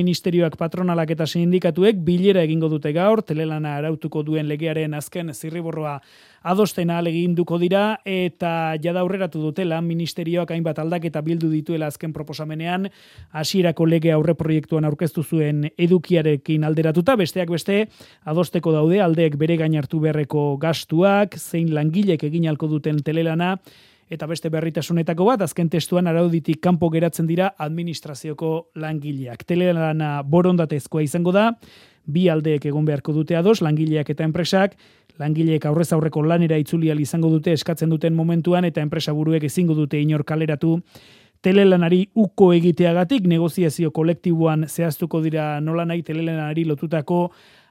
Ministerioak, patronalak eta sindikatuek bilera egingo dute gaur, telelana arautuko duen legearen azken zirriborroa adosten ahaleginduko dira, eta jada aurreratu dute lan ministerioak hainbat aldaketa bildu dituela azken proposamenean, hasierako lege aurreproiektuan aurkeztu zuen edukiarekin alderatuta, besteak beste adosteko daude aldeek bere gain hartu beharreko gastuak, zein langilek egin ahalko duten telelana, eta beste berritasunetako bat, azken testuan arauditik kanpo geratzen dira administrazioko langileak. Telelana borondatezkoa izango da, bi aldeek egon beharko dute ados, langileak eta enpresak, langileek aurrez aurreko lanera itzuli ahal izango dute eskatzen duten momentuan, eta enpresa buruek ezingo dute inor kaleratu telelanari uko egiteagatik, negoziazio kolektiboan zehaztuko dira nolanahi telelanari lotutako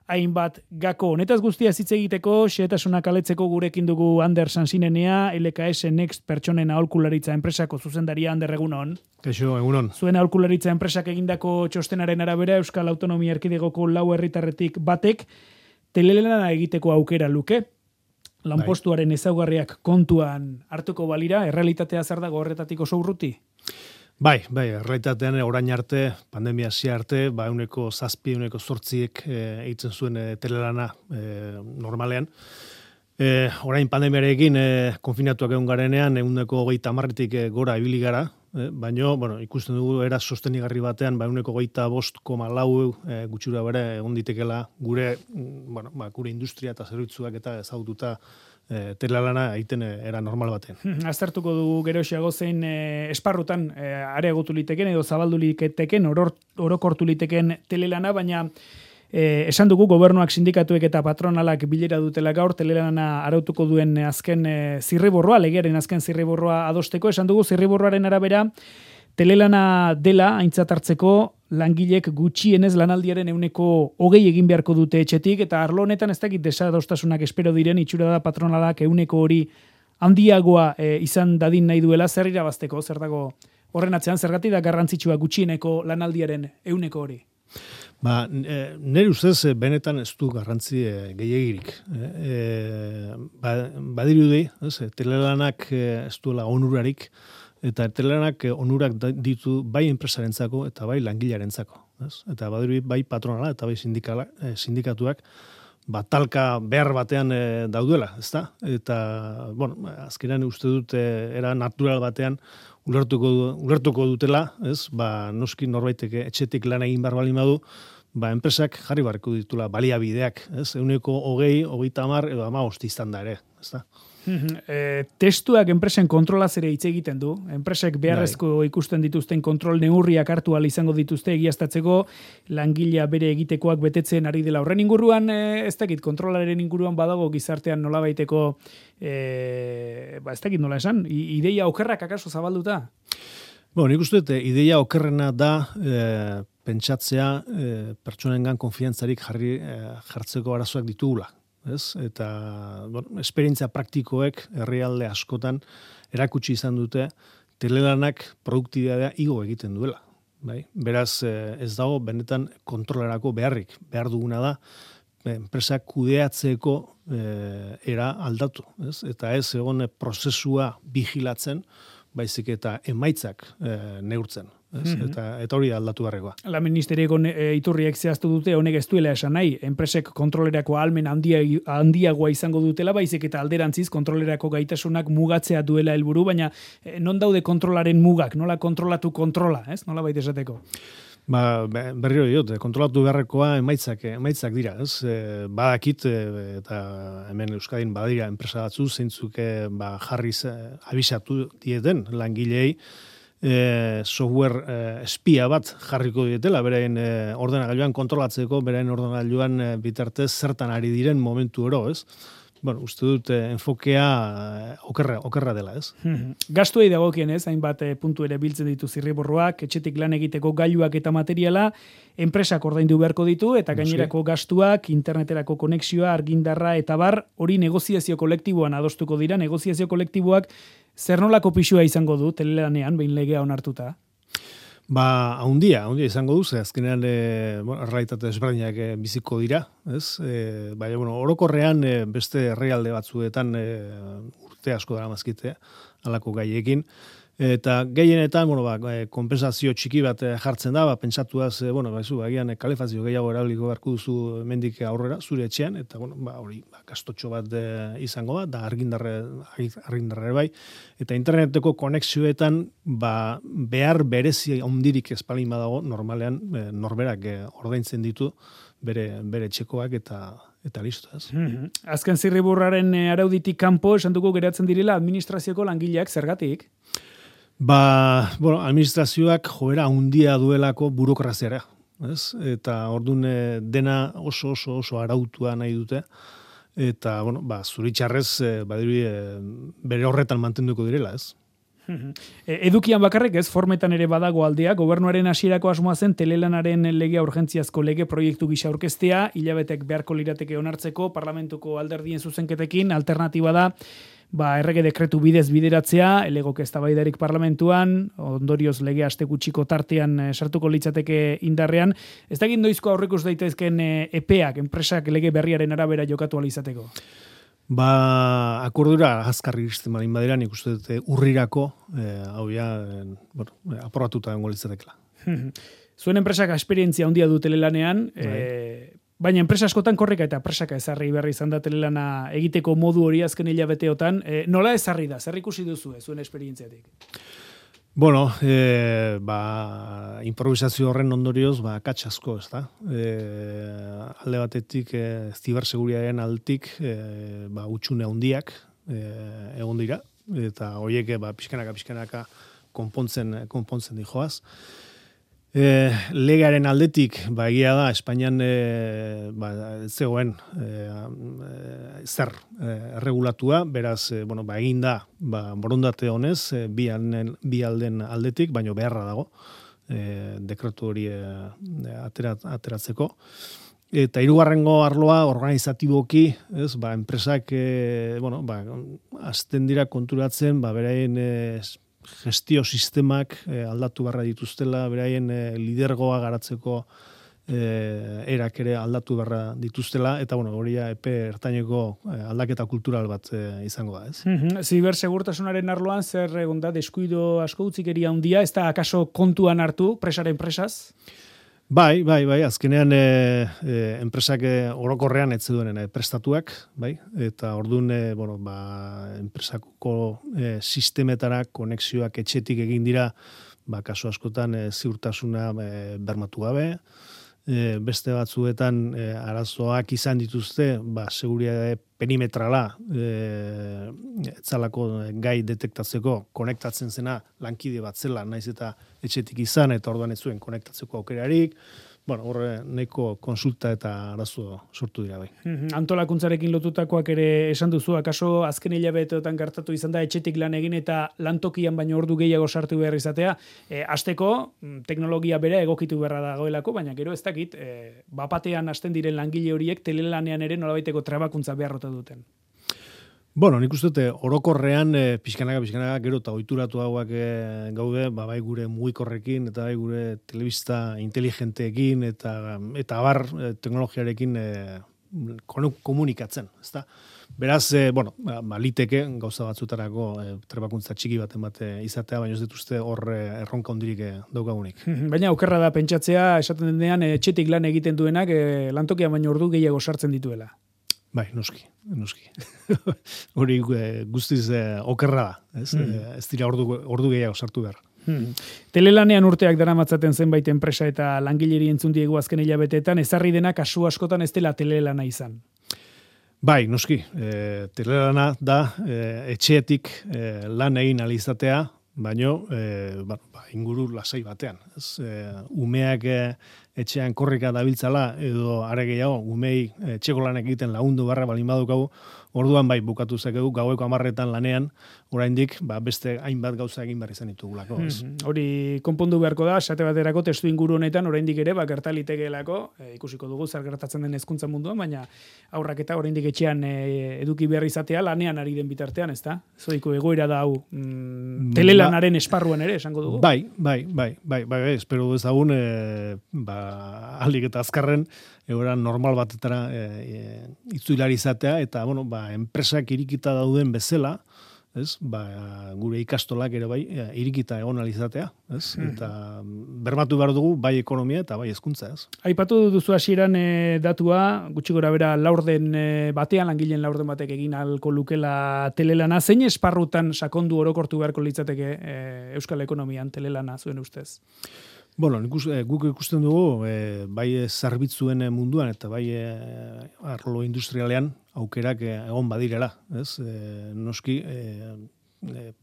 hainbat gako. Honetaz guztia hitz egiteko, xehetasunak aletzeko gurekin dugu Ander Sansinenea, LKS Next pertsonen aholkularitza enpresako zuzendaria. Ander, egunon. Kaixo, egunon. Zuen aholkularitza enpresak egindako txostenaren arabera, Euskal Autonomia Erkidegoko 4 herritarretik batek telelana egiteko aukera luke. Lanpostuaren ezaugarriak kontuan hartuko balira, errealitatea zer dago horretatik oso urruti? Bai, errealitatean orain arte, pandemia hasi arte, 7, 8 egiten zuen telelana normalean. Orain pandemiarekin konfinatuak egon garenean, 130tik gora ibili gara, baina ikusten dugu era sostenigarri batean, 125,4 gutxura bere egon ditekela gure industria eta zerbitzuak eta ezagututa telelana egiten era normal batean. Aztertuko dugu geroxiago zein esparrutan areagotu liteken edo zabaldu liteken, orokortu liteken telelana, baina esan dugu gobernuak, sindikatuek eta patronalak bilera dutela gaur telelana arautuko duen azken zirriborroa, legearen azken zirriborroa adosteko. Esan dugu zirriborroaren arabera telelana dela aintzat hartzeko langilek gutxienez lanaldiaren 20% egin beharko dute etxetik, eta arlo honetan ez dakit desadostasunak espero diren, itxura da patronalak 100% handiagoa izan dadin nahi duela. Zer irabazteko, zer dago horren atzean, zergatik da garrantzitsua gutxieneko lanaldiaren 100%? Nire ustez benetan ez du garrantzi gehiegirik. Badirudi, telelanak ez duela onurarik, eta telelanak onurak ditu bai enpresarentzako eta bai langilearentzako. Eta badirudi bai patronala eta bai sindikatuak talka behar batean daudela, ezta? Eta, azkenean uste dut era natural batean ulertuko dutela, noski norbaitek etxetik lan egin behar baldin badu, enpresak jarri beharko ditula baliabideak, 120, 30 edo 15 izan da ere, ezta? Testuak enpresen kontrolaz ere hitz egiten du. Enpresek beharrezko ikusten dituzten kontrol neurriak hartu ahal izango dituzte egiaztatzeko langilea bere egitekoak betetzen ari dela. Horren inguruan, ez dakit, kontrolaren inguruan badago gizartean nolabaiteko, ez dakit nola esan, ideia okerrak akaso zabalduta? Nik uste dut, ideia okerrena da pentsatzea pertsonengan konfiantzarik jartzeko arazoak ditugula. Eta esperientzia praktikoek herrialde askotan erakutsi izan dute telelanak produktibitatea igo egiten duela. Beraz, ez dago benetan kontrolerako beharrik. Behar duguna da enpresak kudeatzeko era aldatu. Eta ez egon prozesua vigilatzen, baizik eta emaitzak neurtzen. Eta hori aldatu beharrekoa. La ministerieko iturriek zehaztu dute honek ez duela esan nahi, enpresek kontrolerako ahalmen handiagoa izango dutela, baizik eta alderantziz kontrolerako gaitasunak mugatzea duela helburu, baina non daude kontrolaren mugak, nola kontrolatu kontrola, ez? Nola baita esateko? Berriro diot, kontrolatu beharrekoa emaitzak dira, ez? Badakit, eta hemen Euskadin badira enpresa batzu, zeintzuk jarriz abisatu dieten langilei, software espia bat jarriko dietela, beraien ordenagailuan kontrolatzeko, beraien ordenagailuan bitartez zertan ari diren momentu oro, ez? Uste dut enfokea okerra dela, ez? Gastuei dagokien, ez? Hainbat puntu ere biltzen ditu zirriborroak, etxetik lan egiteko gailuak eta materiala, enpresak ordaindu beharko ditu, eta gainerako gastuak, interneterako konexioa, argindarra eta bar, hori negoziazio kolektiboan adostuko dira, negoziazio kolektiboak zer nolako pisua izango du telelanean, behin legea onartuta? Haundia izango du, azkenean errealitate desberdinak biziko dira, ez? Baina, orokorrean beste herrialde batzuetan urte asko dara mazkite, alako gaiekin, Eta gehienetan, konpensazio txiki bat jartzen da, pentsatuaz, agian kalefazio gehiago erabiliko beharko duzu mendik aurrera, zure etxean, eta, hori, gastotxo bat izango da argindarre bai, eta interneteko konexioetan, behar berezi handirik espalin badago, normalean, norberak ordaintzen ditu, bere txekoak eta listo, ez? Azken zirriburraren arauditik kanpo esan dugu geratzen direla administrazioko langileak zergatik? Administrazioak joera handia duelako burokraziara, ez? Eta ordun dena oso arautua nahi dute, eta, zuritxarrez, bere horretan mantenduko direla, ez? Edukian bakarrik ez, formetan ere badago aldea, gobernuaren hasierako asmoa zen telelanaren legea urgentziazko lege proiektu gisa aurkeztea, hilabetek beharko lirateke onartzeko, parlamentuko alderdien zuzenketekin, alternatiba da, errege dekretu bidez bideratzea, elegok eztabaidarik parlamentuan, ondorioz lege aste gutxiko tartean sartuko litzateke indarrean. Ez da gindoizko aurrekus daitezken epeak, enpresak lege berriaren arabera jokatu alizateko? Akordura azkarri iristen badin badira, nik uste dute urrirako, aprobatuta dengo litzatekela. Zuen enpresak esperientzia handia du telelanean, baina enpresa askotan korrika eta presaka ezarri berri izan da telelana egiteko modu hori azken hilabeteotan. Nola ezarri da? Zer ikusi duzu zuen esperientziatik? Improvisazio horren ondorioz, katxasko, ez da? Alde batetik, ziberseguriaren altik, utxune handiak egon dira, eta horiek, pixkanaka konpontzen dijoaz. Legaren aldetik, egia da, Espainian zegoen zer regulatua, beraz, egin da, borondate honez, bi alden aldetik, baino beharra dago, dekretu hori ateratzeko. Eta hirugarrengo arloa organizatiboki, enpresak, azten dira konturatzen, beraien gestio sistemak aldatu barra dituztela, beraien lidergoa garatzeko erak ere aldatu barra dituztela, eta hori epe ertaineko aldaketa kultural bat izango da, ez? Zibersegurtasunaren arloan zer egon da, deskuido asko utzikeria handia, ez da akaso kontuan hartu presaren presaz? Bai, azkenean enpresak orokorrean ez zuen prestatuak, eta orduan enpresako sistemetara konexioak etxetik egin dira, kasu askotan ziurtasuna bermatu gabe, beste batzuetan arazoak izan dituzte, seguridade perimetrala etzalako gai detektatzeko konektatzen zena lankide bat zela, naiz eta etxetik izan, eta orduan ez zuen konektatzeko aukerarik, horre nahiko konsulta eta arazo sortu dira bai. Antolakuntzarekin lotutakoak ere esan duzu, akaso azken hilabeteotan gertatu izan da etxetik lan egin eta lantokian baino ordu gehiago sartu behar izatea. Hasteko teknologia bera egokitu beharra dagoelako, baina gero ez dakit, bapatean hasten diren langile horiek telelanean ere nolabaiteko trebakuntza beharrota duten. Nik uste dute orokorrean pixkanaka gero eta ohituratu hauak gaude, bai gure mugikorrekin eta bai gure telebista inteligenteekin eta abar teknologiarekin komunikatzen, ezta? Beraz, liteke gauza batzutarako trebakuntza txiki baten izatea, baina ez dituzte hor erronka hondirik daukagunik. Baina okerra da pentsatzea, esaten denean, etxetik lan egiten duenak lantokian baino ordu gehiago sartzen dituela. Bai, noski. Hori guztiz okerra da, ez dira ordu gehiago sartu behar. Telelanean urteak daramatzaten zenbait enpresa eta langileri entzun diegu azken hilabeteetan, ezarri dena kasu askotan ez dela telelana izan. Bai, noski. Telelana da etxeetik lan egin alizatea, baino inguru lasai batean. Umeak etxean korrika dabiltzala edo are gehiago umei etxeko lanak egiten lagundu barra balin badukagu, orduan bai bukatu zakegu gaueko 10etan lanean, oraindik beste hainbat gauza egin behar izan ditugulako. Hori konpondu beharko da, esate baterako testu inguru honetan oraindik ere gertalitekeelako, ikusiko dugu zer gertatzen den hezkuntza munduan, baina aurrak eta oraindik etxean eduki behar izatea lanean ari den bitartean, ezta? Zoiko egoera da hau telelanaren esparruan ere esango dugu. Bai, espero dezagun ahalik eta azkarren egoera normal batetara itzuilari izatea eta enpresak irikita dauden bezala, ez? Gure ikastolak ere bai, irikita egon alizatea, ez? Eta bermatu behar dugu bai ekonomia eta bai hezkuntza, ez? Aipatu duzu hasieran datua, gutxi gora bera laurden batean, langileen laurden batek egin alko lukela telelana. Zein esparrutan sakondu orokortu beharko litzateke Euskal Ekonomian telelana zuen ustez? Bueno, guk ikusten dugu, bai zerbitzuen munduan eta bai arlo industrialean aukerak egon badirela, ez? Noski,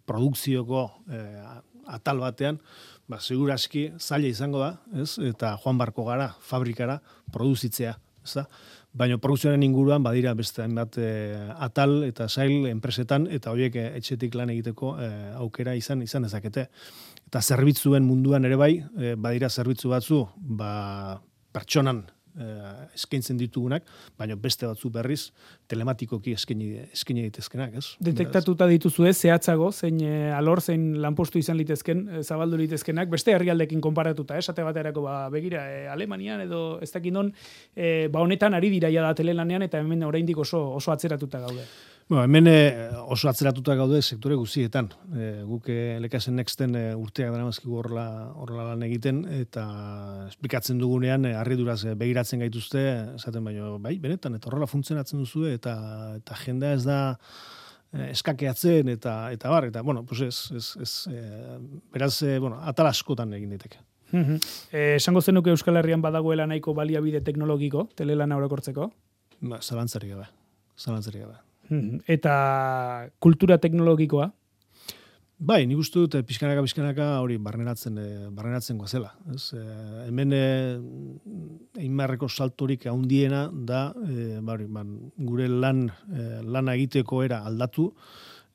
produkzioko atal batean, seguraski zaila izango da, ez? Eta joan barko gara, fabrikara, produzitzea, ez da? Baina produkzioaren inguruan badira beste hainbat atal eta sail enpresetan eta horiek etxetik lan egiteko aukera izan dezakete. Eta zerbitzuen munduan ere bai, badira zerbitzu batzu, pertsonan eskaintzen ditugunak, baina beste batzu berriz telematikoki eskaini daitezkenak, ez? Detektatuta dituzue zehatzago, zein alor, zein lanpostu izan litezken, zabaldu litezkenak, beste herrialdekin konparatuta, esate baterako begira, Alemanian edo ez dakit non, honetan ari dira ja da telelanean eta hemen oraindik oso atzeratuta gaude. Hemen oso atzeratuta gaude sektore guztietan. Guk Lekasen Nexten urteak daramazkigu horrela lan egiten, eta esplikatzen dugunean harriduraz begiratzen gaituzte, esaten baino, bai, benetan, eta horrela funtzionatzen duzu, eta jendea ez da eskakeatzen, eta bar, eta, bueno, pues beraz, atal askotan egin daiteke. Esango zenuke Euskal Herrian badagoela nahiko baliabide teknologiko, telelana orokortzeko? Zalantzarik gabe. Eta kultura teknologikoa? Bai, nik uste dut pixkanaka hori barneratzen goazela. Hemen einmarreko saltorik handiena da gure lana egiteko era aldatu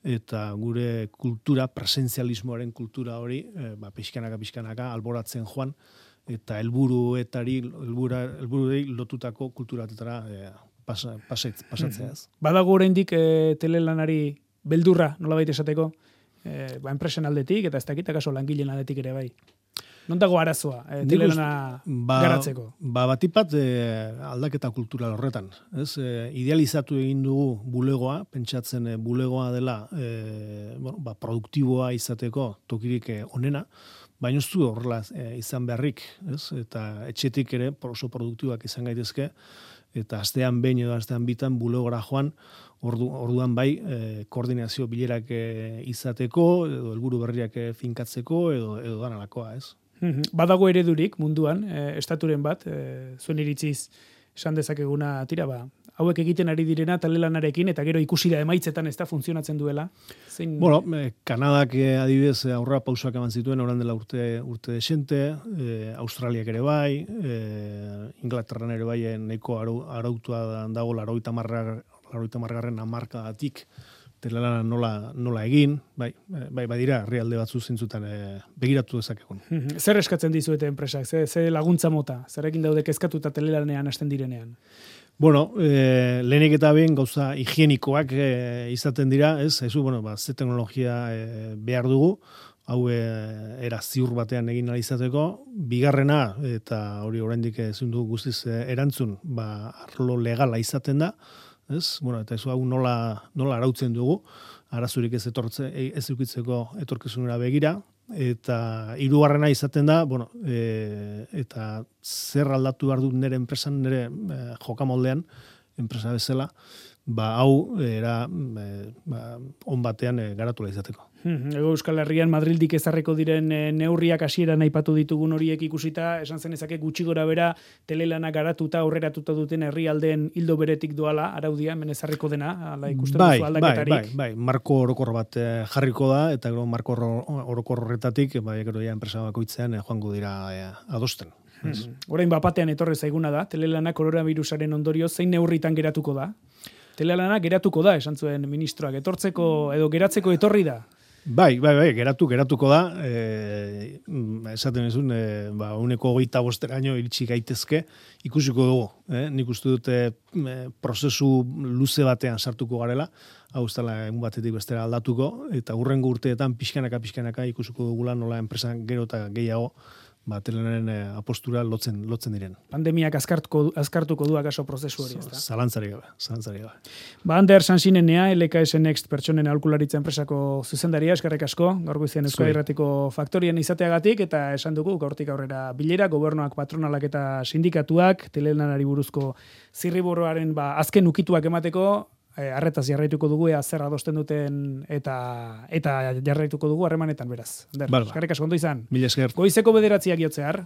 eta gure kultura, presentzialismoaren kultura hori pixkanaka alboratzen joan eta helburuei lotutako kulturatetara pasatzea ez. Badago oraindik telelanari beldurra, nolabait esateko, enpresen aldetik, eta ez dakit akaso langileen aldetik ere bai. Non dago arazoa, telelana garatzeko? Batipat aldaketa kultural horretan. Idealizatu egin dugu bulegoa, pentsatzen bulegoa dela produktiboa izateko tokirik onena, baina ez du horrela izan beharrik, eta etxetik ere oso produktiboak izan gaitezke, eta astean behin edo astean bitan bulegora joan, orduan bai koordinazio bilerak izateko, edo helburu berriak finkatzeko, edo danalakoa, ez? Badago eredurik munduan, estaturen bat, zuen iritziz esan dezakeguna tira, hauek egiten ari direna telelanarekin, eta gero ikusi da emaitzetan ez da funtzionatzen duela. Bueno, Kanadak adibidez aurrera pausoak eman zituen, orain dela urte desente, Australiak ere bai, Inglaterran ere bai nahiko arautua dago 80. hamarkadatik telelana nola egin, badira herrialde batzu zintzutan begiratu dezakegun. Zer eskatzen dizuete enpresak? Ze laguntza mota? Zerekin daude kezkatuta telelanean hasten direnean? Bueno, lehenik eta behin gauza higienikoak izaten dira, ze teknologia behar dugu, hau era ziur batean egin ahal izateko, bigarrena, eta hori oraindik ezin dugu guztiz erantzun, arlo legala izaten da, eta ez hau nola arautzen dugu, arazurik ez edukitzeko etorkizunera begira, eta hirugarrena izaten da, eta zer aldatu behar dut nire enpresan, nire jokamoldean, enpresa bezala, hau era on batean garatu izateko. Ego Euskal Herrian Madrildik ezarreko diren neurriak hasieran aipatu ditugun horiek ikusita, esan zenezake gutxi gora bera telelana garatuta aurreratuta duten herrialdeen ildo beretik doala araudia hemen ezarriko dena, ala ikusten duzu aldaketarik. Bai, marko orokor bat jarriko da eta gero marko orokor horretatik gero enpresa bakoitzean joango dira adosten. Orain bapatean etorri zaiguna da, telelana koronavirusaren ondorio zein neurritan geratuko da? Telelana geratuko da, esan zuen ministroak, etortzeko edo geratzeko etorri da? Bai, geratuko da, esaten ezun, 25% iritsi gaitezke, ikusiko dugu, nik uste dute prozesu luze batean sartuko garela, hau ez dela egun batetik bestera aldatuko, eta hurrengo urteetan pixkanaka ikusiko dugula nola enpresan gero eta gehiago Telenaren apostura lotzen diren. Pandemiak azkartuko du akaso prozesu hori, ezta? Zalantzari gabe. Ander Sansinenea, LKS Next pertsonen aholkularitza enpresako zuzendaria, eskerrik asko, gaur goizean Euskal Irratiko faktorien izateagatik, eta esan dugu, gaurtik aurrera bilera, gobernuak, patronalak eta sindikatuak, telelanari buruzko zirriborroaren azken ukituak emateko, arretaz jarraituko dugu, zer adosten duten eta jarraituko dugu harremanetan beraz. Eskerrik asko ondo izan. Mila esker. Goizeko 9:00 jotzear.